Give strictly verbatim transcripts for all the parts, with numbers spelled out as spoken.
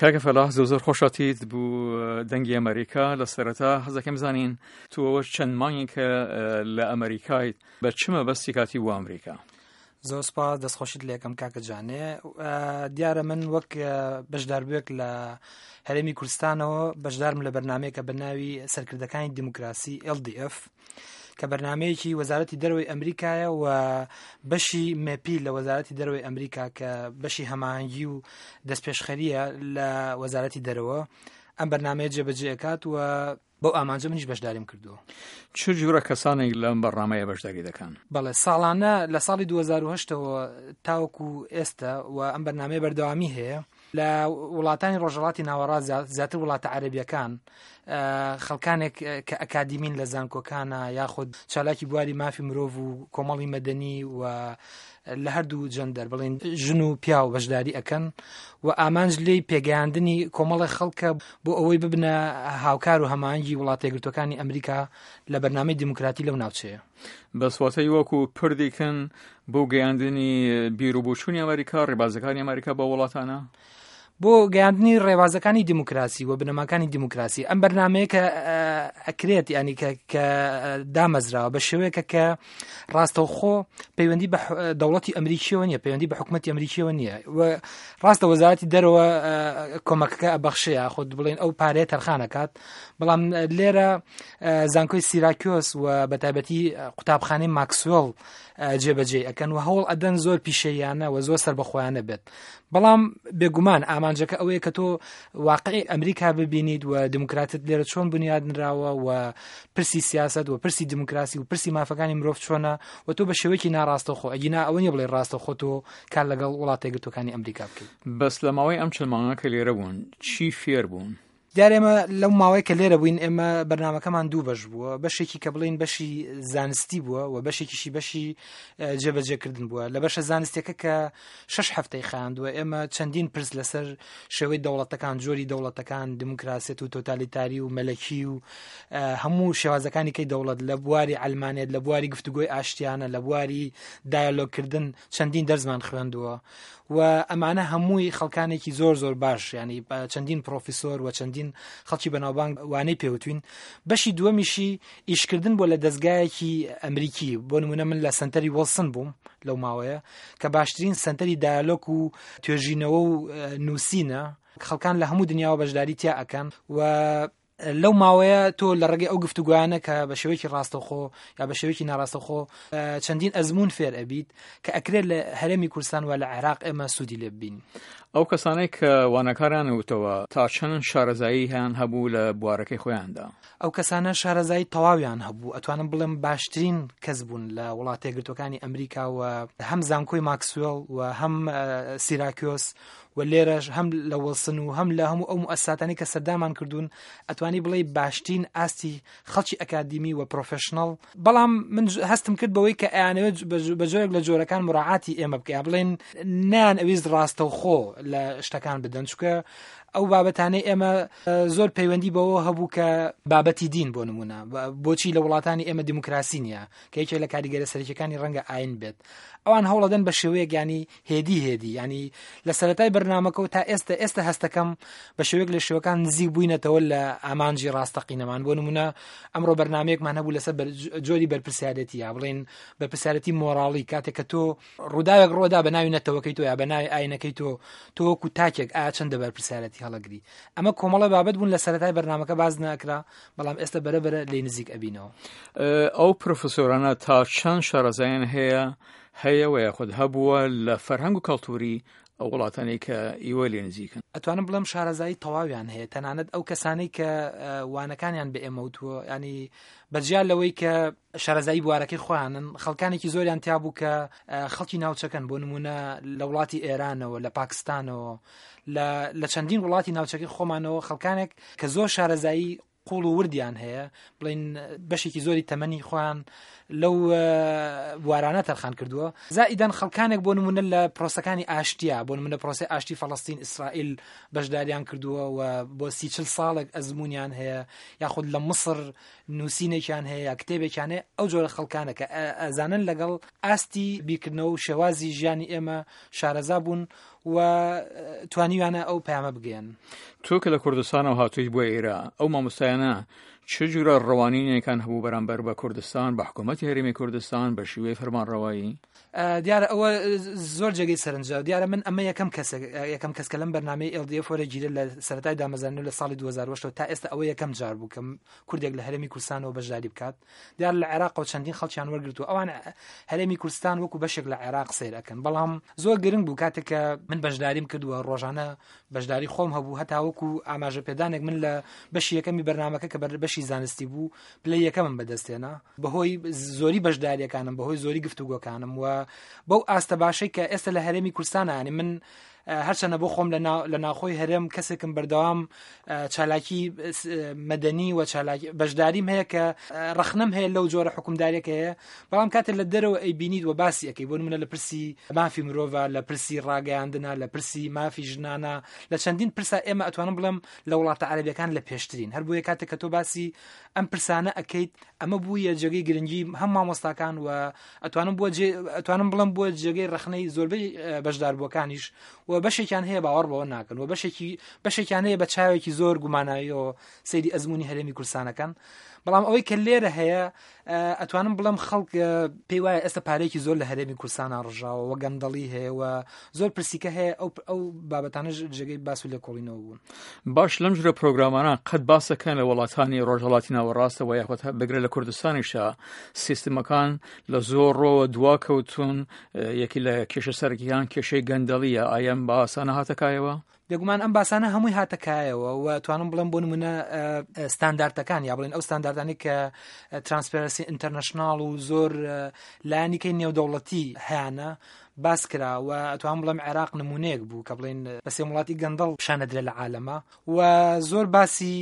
کاکە فەلاح، زۆر زۆر خۆشاتیت بوو دەنگی ئەمریکا. لە سەرەتا حەزەکەم زانین تو ئەوە چەند مانگێکە لە ئەمریکایت، بە چ مەبەستی کاتی بۆ ئەمریکا؟ زۆر سپاس، دەستخۆشیت لێکەم کاکە جانێ. دیارە من وەک بەشداربووێک لە هەرێمی کوردستانەوە بەشدارم لە بەرنمەیەکە بە ناوی سەرکردەکانی دیموکراسی L D F، کە بەرنمەیەکی وەزارەتی دەرەوەی ئەمریکایە و بەشی مێپی لە وەزارەتی دەرەوەی ئەمریکا کە بەشی هەماهەنگی و دەستپێشخەریە لە وەزارەتی دەرەوە ئەم بەرنمەیە جێبەجێ ئەکات و بەو ئامانجە منیش بەشداریم کردووە. چ جورە کەسانێک لەم بەرنمەیە بەشداری دەکەن؟ بەڵێ، ساڵانە لە ساڵی دوو هەزار و هەشت ەوە تاوەکو ئێستا و ئەم بەرنمەیە بەردەوامی هەیە لە وڵاتانی ڕۆژهەڵاتی ناوەڕاست، زیاتر وڵاتە عەرەبیەکان، خەڵکانێک کە ئەکادیمین لە زانکۆکانە یاخود چالاکی بواری مافی مرۆڤ و کۆمەڵی مەدەنی و لە هەردوو جەندەر، بڵێن ژن و پیاو، بەشداری ئەکەن و ئامانج لێی پێگەیاندنی کۆمەڵی خەڵکە بۆ ئەوەی ببنە هاوکار و هەماهەنگی وڵاتە یەکگرتووەکانی ئەمریکا لە بەرنامەی دیموکراتی لەو ناوچەیە. بەس واتەی وەکو پردێکن بۆ گەیاندنی بیر و بۆچوونی ئەمریکا، ڕێبازەکانی ئەمریکا بە وڵاتانە؟ بۆ گەیاندنی ڕێبازەکانی دیموکراسی و بنەماکانی دیموکراسی. ئەم بەرنمەیە کە ئەکرێت، ینی کە دامەزراوە بە شێوەیەکە کە ڕاستەوخۆ پەیوەندی بە دەوڵەتی ئەمریکیەوە نییە، پەیوەندی بە حکوومەتی ئەمریکیەوە نییە و ڕاستە وەزارەتی دەرەوە کۆمەکەکە ئەبەخشەیە، خۆت بڵێن ئەو پارەیە تەرخانەکات، بەڵام لێرە زانکۆی سیراکیۆس و بە تایبەتی قوتابخانەی ماکسوێڵ جێبەجێ ئەکەن و هەوڵ ئەدەن زۆر پیشەیانە و زۆر سەربەخۆیانە بێت. بەڵام بێگومان ئامانجەکە ئەوەیە کە تۆ واقعی ئەمریکا ببینیت و دیموکراتیەت لێرە چۆن بنیادنراوە و پرسی سیاست و پرسی دیموکراسی و پرسی مافەکانی مرۆڤ چۆنە و تۆ بە شێوەیەکی ناڕاستەوخۆ، ئەگینا ئەوە نییە بڵێ ڕاستەوخۆ تۆ کار لەگەڵ وڵاتە یەکگرتووەکانی ئەمریکا بکەیت. بەس لە ماوەی ئەم چەند مانگە کە لێرە بوون، چی فێر بوون؟ دیار ئێمە لەو ماوەی کە لێرە بووین، ئێمە بەرنمەکەمان دوو بەش بووە، بەشێکی کە بڵین بەشی زانستی بووە و بەشێکیشی بەشی جێبەجێکردن بووە. لە بەشە زانستیەکە کە شەش هەفتەی خایاندووە، ئێمە چەندین پرس لەسەر شێوەی دەوڵەتەکان، جۆری دەوڵەتەکان، دیموکراسیەت و تۆتالیتاری و مەلەکی و هەموو شێوازەکانی کەی دەوڵەت، لە بواری عەلمانیەت، لە بواری گفتوگۆی ئاشتیانە، لە بواری دایالۆگکردن چەندین دەرزمان خوێندووە و ئەمانە هەمووی خەڵکانێکی زۆر زۆر باش، ینی چەندین پرۆفیسۆر و چەندین خەڵکی بەناوبانگ وانەی پێوتوین. بەشی دووەمیشی ئیشکردن بۆ لە دەستگایەکی ئەمریکی. بۆ نمونە من لە سنتەری وڵسن بووم لەو ماوەیە کە باشترین سنتەری دایالۆک و توێژینەوە و نووسینە، خەڵکان لە هەموو دنیاوە بەشداری تیا ئەکەن و لەو ماوەیە تۆ لە ڕێگەی ئەو گفتوگویانە کە بە شێوەیەکی ڕاستەوخۆ یا بە شێوەیەکی ناڕاستەوخۆ چەندین ئەزمون فێر ئەبیت کە ئەکرێت لە هەرێمی کوردستان و لە عێراق ئێمە سوودی لێ ببین. ئەو کەسانەی کە وانەکاریان وتەوە تا چەند شارەزایی هەیان هەبوو لە بوارەکەی خۆیاندا؟ ئەو کەسانە شارەزایی تەواویان هەبوو، ئەتوانم بڵێم باشترین کەس بوون لە وڵاتە یەکگرتووەکانی ئەمریکا و هەم زانکۆی ماکسوێڵ و هەم سیراکیۆس و لێرەش هەم لە وڵسن و هەم لە هەموو ئەو موئەسساتانی کە سەردامان کردوون، ئەتوانی بڵێ باشترین ئاستی خەڵکی ئەکادیمی و professional. بەڵام من هەستم کرد بەوەی کە ئەیانەوێت بە جۆرێک لە جۆرەکان مراعاتی ئێمە بکە، بڵێن نیان ئەویست ڕاستەوخۆ لە شتەکان بدەن، چونکە ئەو بابەتانەی ئێمە زۆر پەیوەندی بەوە هەبوو کە بابەتی دین، بۆ نمونە بۆچی لە وڵاتانی ئێمە دیموکراسی نییە، کە یەکێک لە کاریگەرە سەرەکیەکانی ڕەنگە ئاین بێت. ئەوان هەوڵەدەن بە شێوەیەک، ینی هێدی هێدی، ینی لە سەرەتای بەرنمەکە تا ئێستا ئێستا هەستەکەم بە شێوەیەک لە شێوەکان نزیک بووینەتەوە لە ئامانجی ڕاستەقینەمان. بۆ نمونە ئەمڕۆ بەرنمەیەکمان هەبوو لەسەر جۆری بەرپرسیارەتی، یا بڵێن بەرپرسیارەتی مۆراڵی، کاتێک کە تۆ ڕووداوێک ڕوودا بە ناوی نەتەوەکەی تۆ یا بە ناوی ئاینەکەی تۆ، تۆ وەکو تاکێک ئایا چەندە بەرپرسیارەتی هەڵەگری؟ ئەمە کۆمەڵە بابەت بوون لە سەرەتای بەرنمەکە باز ناکرا، بەڵام ئێستا بەرەبەرە لێ نزیک ئەبینەوە. ئەو پرۆفسۆرانە تا چەند شارەزایان هەیە هەیە و یاخود هەبووە لە فەرهەنگ و کەلتوری ئەو وڵاتانەی کە ئیوە لێ نزیکن؟ ئەتوانم بڵێم شارەزایی تەواویان هەیە. تەنانەت ئەو کەسانەی کە وانەکانیان بە ئێمە وتووە، ینی بەجیا لەوەی کە شارەزایی بوارەکەی خۆیانن، خەڵکانێکی زۆریان تیا بوو کە خەڵکی ناوچەکەن، بۆ نمونە لە وڵاتی ئێرانەوە، لە پاکستانەوە، لە چەندین وڵاتی ناوچەکەی خۆمانەوە، خەڵکانێک کە زۆر شارەزایی قوڵ و وردیان هەیە، بڵین بەشێکی زۆری تەمەنی خۆیان لەو بوارانە تەرخان کردووە. زائیدەن خەڵکانێک بۆ نمونە لە پرۆسەکانی ئاشتیا، بۆ نمونە پرۆسی ئاشتی فەڵستین ئیسرائیل بەشداریان کردووە و بۆ سی چل ساڵێک ئەزمونیان هەیە، یاخود لە مصر نووسینێکیان هەیە یا کتێبێکیان هەیە. ئەو جۆرە خەڵکانە کە ئەزانن لەگەڵ ئاستی بیرکردنەوە و شێوازی ژیانی ئێمە شارەزا بوون. و توانیویانە ئەو پەیامە بگەیەن. تۆ کە لە کوردستانەوە هاتوویت بۆ ئێرە، ئەو مامۆستایانە چ جورە ڕەوانینێکان هەبوو بەرامبەر بە کوردستان، بە حکوومەتی هەرێمی کوردستان، بە شیوەی فەرمانڕەوایی؟ دیارە ئەوە زۆر جێگەی سەرنجە. دیارە من ئەمە یەکەم کەس یەکەم کەس کە لەم بەرنامەی ئێل دی ئێف وەرەگیرێت لە سەرەتای دامەزراندن لە ساڵی دوو هەزار و هەشت تا ئێستا ئەوە یەکەم جار بوو کە کوردێک لە هەرێمی کوردستانەوە بەشداری بکات. دیار لە عێراقەوە چەندین خەڵکیان وەرگرتووە، ئەوان هەرێمی کوردستان وەکو بەشێک لە عێراق سەیر ئەکەن. بەڵام زۆر گرنگ بوو کاتێک کە من بەشداریم کردووە، ڕۆژانە بەشداری خۆم هەبوو، هەتا وەکو ئاماژە پێدانێک من لە بەشی یەکەمی بەرنامەکە کە بەشی زانستی بوو پلەی یەکەمم بەدەستێنا بەهۆی زۆری بەشداریەکانم، بەهۆی زۆری گفتوگۆکانم و بەو ئاستە باشەی کە ئێستا لە هەرێمی کوردستانە. ینی من هەرچەنە بۆ خۆم لە ناخۆی هەرێم کەسێکم بەردەوام چالاکی مەدەنی و چالاکی بەشداریم هەیە کە ڕەخنەم هەیە لەو جۆرە حکومداریەکە هەیە، بەڵام کاتێک لە دەرەوە ئەیبینیت و باسی ئەەکەی، بۆ نمونە لە پرسی مافی مرۆڤە، لە پرسی ڕاگەیاندنە، لە پرسی مافی ژنانە، لە چەندین پرسا ئێمە ئەتوانم بڵێم لە وڵاتە عەرەبیەکان لە پێشترین. هەر بۆیە کاتێک کە تۆ باسی ئەم پرسانە ئەەکەیت، ئەمە بوویە جێگەی گرنگی هەم مامۆستاکان و ئەتوانم بووە ئەتوانم بڵێم بووە جێگەی ڕەخنەی زۆربەی بەشداربووەکانیش و بەشێکیان هەیە باوەڕ بەوە ناکەن و بەشێکی بەشێکیان هەیە بە چاوێکی زۆر گوماناییەوە سەیری ئەزمموی هەرێمی کوردستانەکەن. بەڵام ئەوەی کە لێرە هەیە ئەتوانم بڵێم خەڵک پێی وایە ئێستا پارێکی زۆر لە هەرێمی کوردستانە ڕژاوە و گەندەڵی هەیە و زۆر پرسیکە هەیە، ئەو ئەو بابەتانە جێگەی باس و لێکۆڵینەوە بوون. باش، لەم جورە پرۆگرامانە قەت باسەکەن لە وڵاتانی ڕۆژهەڵاتی ناوەڕاستەوە یاخود بگرە لە کوردستانیشا سیستمەکان لە زۆر ڕۆوە دوا کەوتون، یەکی لە کێشە سەرەکیان کێشەی گەندەڵیە، ئایا ئەم باسانە هاتەکایەوە؟ بێگومان ئەم باسانە هەمووی هاتەکایەوە و توانم بڵێم بۆ نمونە ستانداردەکان یا بڵێن ئەو ستانداردانەی کە Transparency International و زۆر لایەنیکەی نێودەوڵەتی هەیانە باس کرا و ئەتوانم بڵێم عێراق نمونەیەک بوو کە بڵێن بە سێ وڵاتی گەندەڵ پیشانەدرێ لە عالەمە و زۆر باسی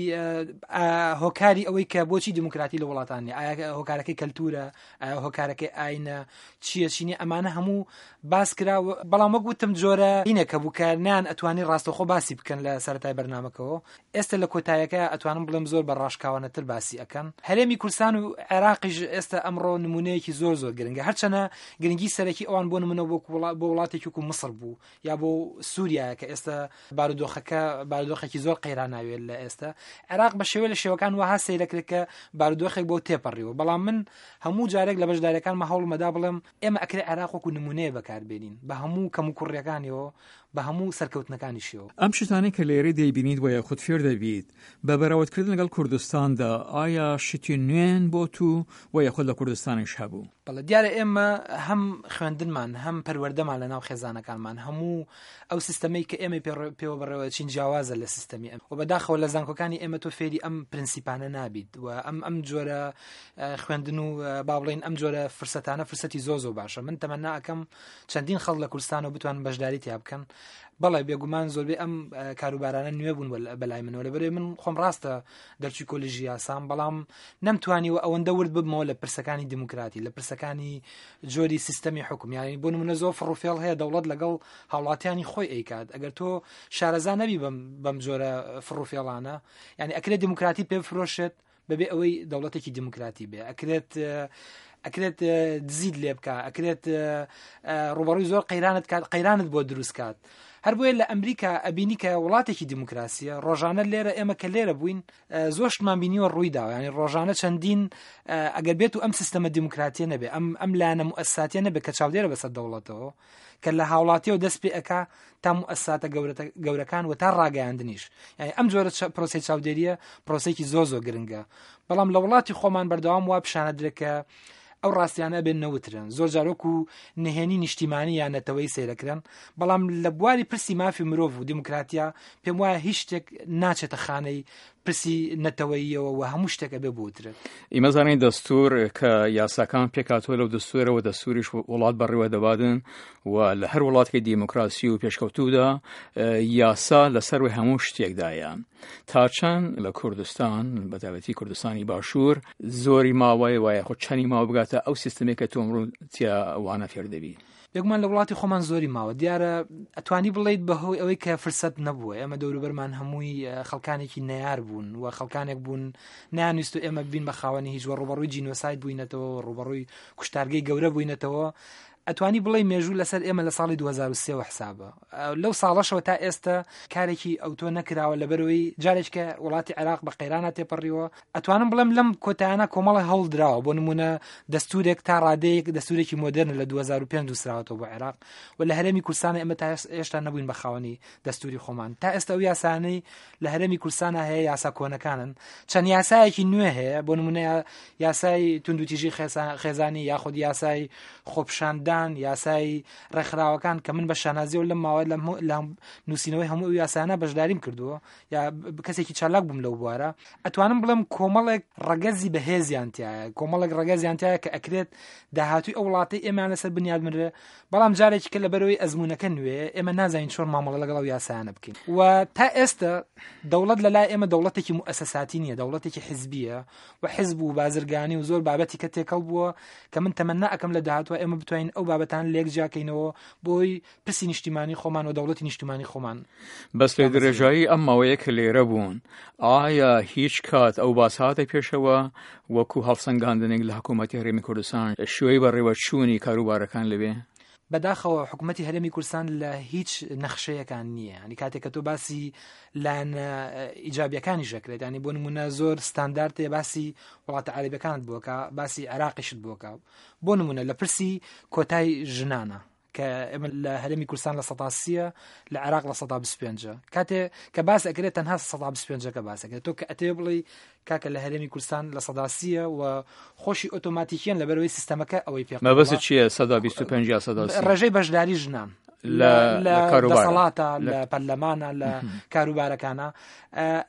هۆکاری ئەوەی کە بۆچی دیموکراتی لە وڵاتان نیە، ئایا هۆکارەکەی کەلتورە، ئایا هۆکارەکەی ئاینە، چییە چینی، ئەمانە هەموو باس کرا. بەڵام وەک وتم جۆرە هینێکە بوو کە نیان ئەتوانی ڕاستەوخۆ باسی بکەن لە سەرەتای بەرنامەکەەوە. ئێستا لە کۆتایەکە ئەتوانم بڵێم زۆر بە ڕاشکاوانەتر باسی ئەکەن. هەرێمی کوردستان و عێراقیش ئێستا ئەمڕۆ نمونەیەکی زۆر زۆر گرنگە، هەرچەنە گرنگی سەرەکی ئەوان بۆ نمونە بۆ بۆ وڵاتێکی وەکو میسر بوو یا بۆ سووریا کە ئێستا بارودۆخەکە بارودۆخێکی زۆر قەیراناوێت لە ئێستا. عێراق بە شێوە لە شێوەکان وەها سەیرەکرێت کە بارودۆخێک بۆ تێپەڕیوە، بەڵام من هەموو جارێک لە بەشداریەکانمە هەوڵمەدا بڵێم ئێمە ئەکرێ عێراق وەکو نمونەیە بەکاربێنین بە هەموو کەم و کوڕیەکانیەوە، بە هەموو سەرکەوتنەکانیشیەوە. ئەم شتانەی کە لێرە دەیبینیت وە یاخود فێر دەبیت بە بەراوردکردن لەگەڵ کوردستاندا، ئایا شتی نوێن بۆ تو وە یاخود لە کوردستانیش هەبوو؟ بەڵێ، دیارە ئێمە هەم خوێندنمان هەم پەروەردەمان لە ناو خێزانەکانمان، هەموو ئەو سیستەمەی کە ئێمە پێوە بەڕێوە چین جیاوازە لە سیستەمی ئەم و بەداخەوە لە زانکۆکانی ئێمە تۆ فێری ئەم پرنسیپانە نابیت و ئەم ئەم جۆرە خوێندن و با بڵێین ئەم جۆرە فرسەتانە فرسەتی زۆر زۆر باشە. من تەمەنا ئەکەم چەندین خەڵک لە کوردستانەوە بتوانن بەشداری تیا بکەن. بەڵێ بێگومان زۆربەی ئەم کاروبارانە نوێ بوون بەلای منەوە، لەبەرەوەی من خۆم ڕاستە دەرچووی کۆلێژی یاسام، بەڵام نەمتوانیوە ئەوەندە ورد ببمەوە لە پرسەکانی دیموکراتی، لە پرسەکانی جۆری سیستەمی حکوم. یعنی بۆ نمونە زۆر فڕوفێڵ هەیە دەوڵەت لەگەڵ هاوڵاتیانی خۆی ئەیکات، ئەگەر تۆ شارەزا نەبی بەم جۆرە فڕوفێڵانە، یعنی ئەکرێت دیموکراتی پێ بفرۆشێت بەبێ ئەوەی دەوڵەتێکی دیموکراتی بێ، ئەکرێت ئەکرێت دزیت لێ بکە، ئەکرێت ڕوبەڕووی زۆر قەیرانت کات، قەیرانت بۆ دروست کات. هەر بۆیە لە ئەمریکا ئەبینی کە وڵاتێکی دیموکراسیە، ڕۆژانە لێرە ئێمە کە لێرە بووین زۆر شتمان بینیوە ڕووی داوە. یعنی ڕۆژانە چەندین ئەگەر بێت و ئەم سیستەمە دیموکراتیە نەبێ، ئەم ئەم لایەنە موئەسساتیە نەبێ کە چاودێرە بەسەر دەوڵەتەوە، کە لە هاوڵاتیەوە دەست پێ ئەکا تا موئەسساتە گەورەکان و تا ڕاگەیاندنیش. یعنی ئەم جۆرە پرۆسەی چاودێریە پرۆسەیەکی زۆر زۆر گرنگە. بەڵام لە وڵاتی خۆمان بەردەوام وا پیشانەدرێت کە ئەو ڕاستیانە بێن نەوترن، زۆر جارۆک و نهێنی نیشتیمانی یان نەتەوەی سەیرەکرن. بەڵام لە بواری پرسی مافی مرۆڤ و دیموکراتیا پێم وایە هیچ شتێک ناچێتە خانەی پرسی نەتەوەییەوە و هەموو شتێک ئەبێ بوترێت. ئیمە زانین دەستور کە یاساکان پێکاتوە لەو دەستورەوە دەستوریش وڵات بەڕێوە دەبادن و لە هەر وڵاتێکی دیموکراسی و پێشکەوتوودا یاسا لەسەروی هەموو شتێکدایە. تا چەند لە کوردستان، بەتایبەتی کوردستانی باشوور، زۆری ماوەیە وایە خۆ چەنی ماوە بگاتە ئەو سیستمێک کە تۆ ئەمڕۆ تیا وانە فێر دەبی؟ بێگومان لە وڵاتی خۆمان زۆری ماوە. دیارە ئەتوانی بڵیت بەهۆی ئەوەی کە فرسەت نەبووە، ئێمە دەوروبەرمان هەمووی خەڵکانێکی نەیار بوون و خەڵکانێک بوون نانویست و ئێمە بین بە خاوەنی هیچ و ڕوبەڕووی جینۆساید بووینەتەوە، ڕوبەڕووی کوشتارگەی گەورە بووینەتەوە. ئەتوانی بڵێ مێژوو لەسەر ئێمە لە ساڵی دوو هەزار و سێ وە حسابە. لەو ساڵەشەوە تا ئێستا کارێکی ئەوتۆ نەکراوە، لەبەرەوەی جارێککە وڵاتی عێراق بە قەیرانە تێپەڕیوە. ئەتوانم بڵێم لەم کۆتایانە کۆمەڵە هەوڵ دراوە، بۆ نمونە دەستورێک تا ڕادەیەک دەستورێکی مۆدێرن لە دوو هەزار و پێنج نووسراوەتەوە بۆ عێراق و لە هەرێمی کوردستان ئێمە تا هێشتا نەبووین بە خاوەنی دەستوری خۆمان. تا ئێستا ئەو یاسانەی لە هەرێمی کوردستانە هەیە یاسا کۆنەکانن، چەند یاسایەکی نوێ هەیە، بۆ نمونە یاسای توندوتیژی خێزانی یاخود یاسای خۆپیشاندان، یاسای ڕێکخراوەکان کە من بە شانازیەوە لەم ماوە لە نووسینەوەی هەموو ئەو یاسانە بەشداریم کردووە یا کەسێکی چالاک بووم لەو بوارە. ئەتوانم بڵێم کۆمەڵێک ڕەگەزی بەهێزیان تایە، کۆمەڵێک ڕەگەزیان تایە کە ئەکرێت داهاتووی ئەو وڵاتەی ئێمەیان لەسەر بنیاد بنرێ، بەڵام جارێکی کە لەبەرەوەی ئەزمونەکە نوێ ئێمە نازانین چۆن مامەڵە لەگەڵ ئەو یاسایانە بکەین. و تا ئێستا دەوڵەت لە لای ئێمە دەوڵەتێکی موئەسەساتی نییە، دەوڵەتێکی حیزبیە و حیزب و بازرگانی و زۆر بابەتی کە تێکەڵ بووە کە من تەمەنا ئەکەم لە داهاتوە ئێمە بتوانین ئەو بابەتان لێک جیاکەینەوە بۆی پرسی نیشتیمانی خۆمان و دەوڵەتی نیشتیمانی خۆمان. بەس لە درێژایی ئەم ماوەیە کە لێرە بوون، ئایا هیچ کات ئەو باس هاتە پێشەوە وەکو هەڵسەنگاندنێک لە حکوومەتی هەرێمی کوردستان شوێی بەڕێوەچوونی کاروبارەکان لەوێ؟ بەداخەوە حکوومەتی هەرێمی کوردستان لە هیچ نەخشەیەکان نییە. ینی کاتێک کە تۆ باسی لایەنە ئیجابیەکانیش دەکرێت، ینی بۆ نمونە زۆر ستاندارتێ باسی وڵاتە عەرەبیەکانت بۆکە، باسی عێراقیشت بۆکە. بۆ نمونە لە پرسی کۆتای ژنانە کە ئێمە لە هەرێمی کوردستان لە سەدا سیە، لە عێراق لە سەدا بیست و پێنجە. کاتێ کە باس ئەکرێت تەنها سەدا بیست و پێنجەکە باس ئەکرێت. تۆ کە ئەتەوێ بڵێی کاکە لە هەرێمی کوردستان لە سەدا سیە و خۆشی ئۆتۆماتیکیان لەبەرەوەی سیستەمەکە ئەوەی پێ مەبەست چییە سەدا بیست و پێنج یا سەدا سی؟ ڕێژەی بەشداری ژنان لە دەسەڵاتە، لە پەرلەمانە، لە کاروبارەکانە،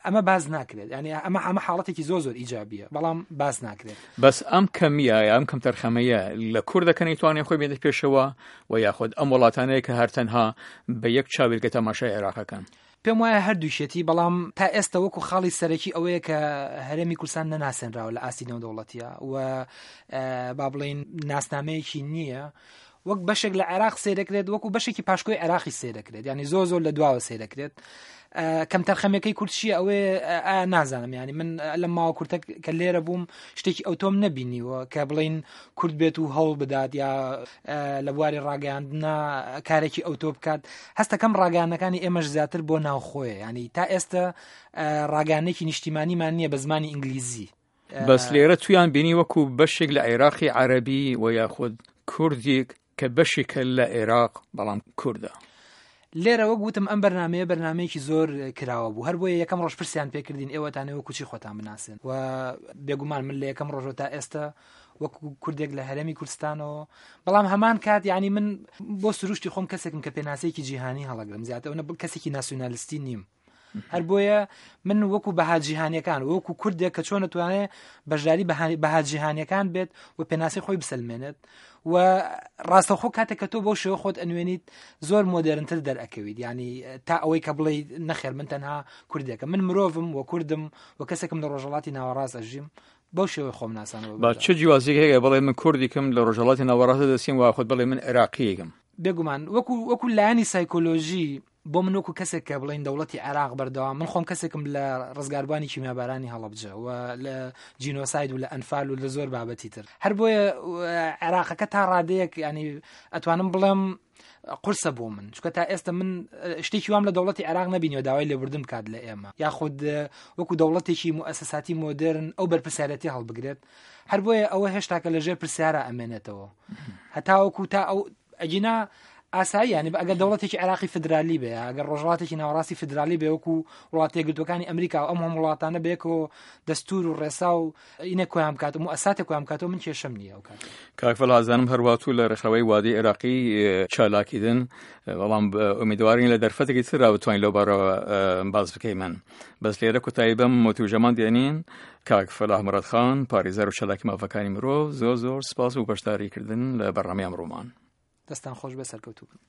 ئەمە باز ناکرێت. یعنی ئەمە ئەمە حاڵەتێکی زۆر زۆر ئیجابیە، بەڵام باز ناکرێت. بەس ئەم کەمیە ئەم کەمتەرخەمەیە لە کوردەکە نەیتوانێت خۆی بێنێت پێشەوە و یاخود ئەم وڵاتانەیە کە هەر تەنها بە یەک چاویلکە تەماشای عێراقەکەن؟ پێم وایە هەردووشێتی، بەڵام تا ئێستا وەکو خاڵی سەرەکی ئەوەیە کە هەرێمی کوردستان نەناسێنراوە لە ئاستی نێودەوڵەتیە و با بڵێین ناسنامەیەکی نییە. وەک بەشێک لە عێراق سێ دەکرێت، وەکو بەشێکی پاشکۆی عێراقی سێ دەکرێت، یعنی زۆر زۆر لە دواوە سێ دەکرێت. کەمتەرخەمەکەی کورد چییە ئەوەیە ئا نازانم. یعنی من لەم ماوە کورتە کە لێرە بووم شتێکی ئەوتۆم نەبینیوە کە بڵین کورد بێت و هەوڵ بدات یا لە بواری ڕاگەیاندنە کارێکی ئەوتۆ بکات. هەستەکەم ڕاگەیاندنەکانی ئێمەش زیاتر بۆ ناوخۆیە، یعنی تا ئێستا ڕاگەیاندنێکی نیشتیمانیمان نییە بە زمانی ئینگلیزی. بەس لێرە تویان بینی وەکو بەشێک لە عێراقی عەرەبی و یاخود کوردێک کە بەشێکە لە عێراق بەڵام کوردە. لێرە وەک وتم ئەم بەرنمەیە بەرنمەیەکی زۆر کراوە بوو، هەر بۆیە یەکەم ڕۆژ پرسیان پێکردین ئێوەتانەوە کوچی خۆتان بناسن و بێگومان من لە یەکەم ڕۆژەوە تا ئێستا وەکو کوردێک لە هەرێمی کوردستانەوە، بەڵام هەمان کات یعنی من بۆ سروشتی خۆم کەسێکم کە پێناسەیەکی جیهانی هەڵەگرم، زیاتر ئەوە کەسێکی ناسیۆنالیستی نیم. هەر بۆیە من وەکو بەها جیهانیەکان وەکو کوردێک کە چۆن ئەتوانێت بەشداری بەها جیهانیەکان بێت و پێناسەی خۆی بسەلمێنێت و ڕاستەوخۆ کاتێک کە تۆ بەو شێوە خۆت ئەنوێنیت زۆر مۆدێرنتر دەرئەکەویت. یعنی تا ئەوەی کە بڵێ نەخێر من تەنها کوردێکم، من مرۆڤم و کوردم و کەسێکم لە ڕۆژهەڵاتی ناوەڕاست ئەژیم، بەو شێوەی خۆم ناسانەوە. با چ جیوازیەک هەیە بڵێ من کوردێکم لە ڕۆژهەڵاتی ناوەڕاست دەسیم و خۆت بڵێ من عێراقییەکم؟ بێگومان وەکو وەکو لایەنی سایکۆلۆژی بۆ من وەکو کەسێک کە بڵین دەوڵەتی عێراق بەردەوام، من خۆم کەسێکم لە ڕزگاربوانی کیمیابارانی هەڵەبجە و لە جینۆساید و لە ئەنفال و لە زۆر بابەتی تر. هەر بۆیە عێراقەکە تا ڕادەیەک ینی ئەتوانم بڵێم قورسە بۆ من، چونکە تا ئێستا من شتێکی وام لە دەوڵەتی عێراق نەبینیوە داوای لێبوردن بکات لە ئێمە، یاخود وەکو دەوڵەتێکی موئەسەساتی مۆدێرن ئەو بەرپرسیارەتی هەڵبگرێت. هەر بۆیە ئەوە هێشتاکە لەژێر پرسیارە ئەمێنێتەوە هەتاوەکو تا ئەو ئەگینا ئاسایی. ینی ئەگەر دەوڵەتێکی عێراقی فدرالی بێ، ئەگەر ڕۆژهەڵاتێکی ناوەڕاستی فدرالی بێ وەکو وڵاتە یەکگرتووەکانی ئەمریکا و ئەم هەموو وڵاتانە بێکەوە دەستور و ڕێسا و ئینە کۆیان بکات و موئەسساتێک کۆیان بکاتەوە، من کێشەم نییە ئەو کاتە. کاک فەلاح ئەزانم هەرواتوو لە ڕێکخراوەی وادەی عێراقی چالاکیدن، بەڵام ئومیدوارین لە دەرفەتێکی ترا بتوانین لەو بارەوە باس بکەیمن. بەس لێرە کۆتایی بەم وتووژەمان دێنین. کاک فەلاح مورادخان، پارێزەر و چالاکی مافەکانی مرۆڤ، زۆر زۆر سپاس و بەشداریکردن لە بەرنامەی ئەمڕۆمان. دەستان خۆش بێ، سەرکەوتوو بن.